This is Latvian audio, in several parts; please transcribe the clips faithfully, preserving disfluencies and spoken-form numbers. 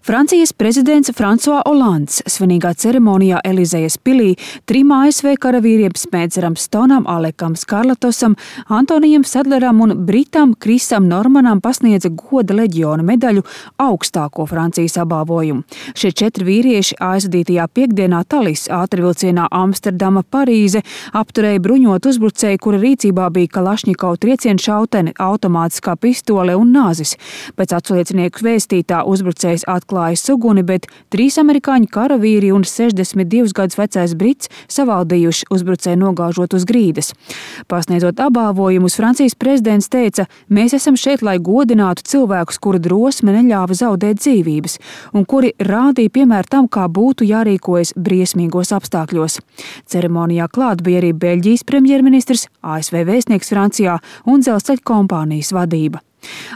Francijas prezidents Fransuā Olands svinīgā ceremonijā Elizejas pilī trim A S V karavīriem Smedzeram Stonam, Alekam Skarlatosam, Antonijam Sadleram un Britam Krisam Normanam pasniedza goda leģiona medaļu augstāko Francijas apbalvojumu. Šie četri vīrieši aizvadītajā piekdienā Talis ātrvilcienā Amsterdama Parīze apturēja bruņotu uzbrucēju, kura rīcībā bija Kalašņikova triecienšautene, automātiskā pistole un nāzis. Pēc atsliecinieku vēstītā uzbrucējs atklājis uguni, bet trīs amerikāņu karavīri un sešdesmit divus gadus vecais brits savaldījuši uzbrucēju nogāžot uz grīdas. Pasniedzot apbalvojumus, Francijas prezidents teica: "Mēs esam šeit, lai godinātu cilvēkus, kuru drosme neļāva zaudēt dzīvības un kuri rādīja piemēru tam, kā būtu jārīkojas briesmīgos apstākļos." Ceremonijā klāt bija arī Beļģijas premjerministrs, A S V vēstnieks Francijā un dzelzceļa kompānijas vadība.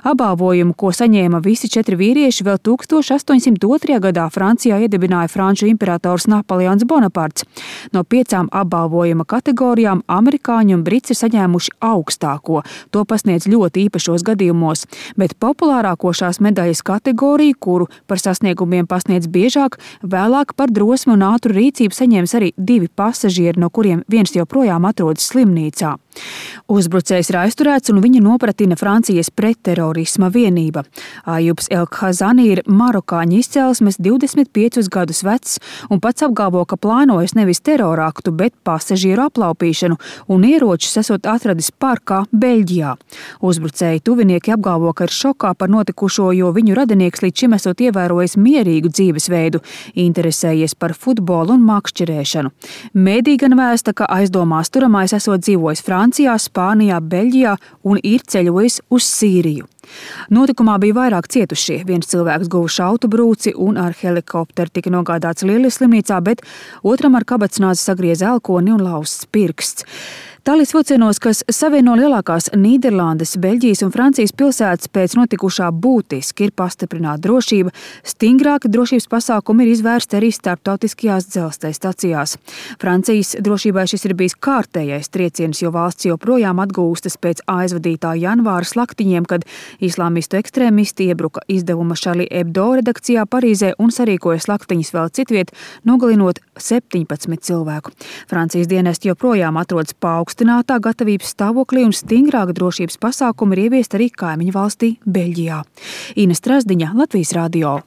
Apbalvojumu, ko saņēma visi četri vīrieši, vēl tūkstoš astoņsimt otrajā gadā Francijā iedibināja franču imperators Napoleons Bonaparts. No piecām apbalvojuma kategorijām amerikāņi un brits ir saņēmuši augstāko. To pasniedz ļoti īpašos gadījumos, bet populārāko šās medaļas kategoriju, kuru par sasniegumiem pasniedz biežāk, vēlāk par drosmi un ātru rīcību saņēmis arī divi pasažieri, no kuriem viens joprojām atrodas slimnīcā. Uzbrucējs ir aizturēts un viņa nopratina Francijas pretterorisma vienība. Ajubs El-Khazani ir marokāņu izcelsmes, divdesmit piecus gadus vecs un pats apgalvo, ka plānojas nevis teroraktu, bet pasažieru aplaupīšanu un ieročus esot atradis parkā Beļģijā. Uzbrucēji tuvinieki apgalvo, ka ir šokā par notikušo, jo viņu radinieks līdz šim esot ievērojis mierīgu dzīvesveidu, interesējies par futbolu un makšķerēšanu. Mēdī gan vēsta, ka aizdomās turamais esot dzīvojis Francijā, Spānijā, Beļģijā un ir ceļojis uz Sīriju. Notikumā bija vairāk cietušie. Viens cilvēks guva šautu brūci un ar helikopteru tika nogādāts Lilijas slimnīcā, bet otram ar kabatsnāzi sagrieza elkoni un lausts pirksts. Talis vilcienos, kas savieno lielākās Nīderlandes, Beļģijas un Francijas pilsētas, pēc notikušā būtiski ir pastiprināta drošība. Stingrāki drošības pasākumi ir izvērsti arī starptautiskajās dzelzceļa stacijās. Francijas drošībai šis ir bijis kārtējais trieciens, jo valsts joprojām atgūstas pēc aizvadītā janvāra slaktiņiem, kad islāmistu ekstrēmisti iebruka izdevuma Charlie Hebdo redakcijā Parīzē un sarīkoja slaktiņas vēl citviet, nogalinot septiņpadsmit cilvēku. Francijas dienesti joprojām atrodas paaugstinātā gatavības stāvoklī un stingrāka drošības pasākumi ir ieviesti arī kaimiņu valstī Beļģijā. Ines Trasdiņa, Latvijas radio.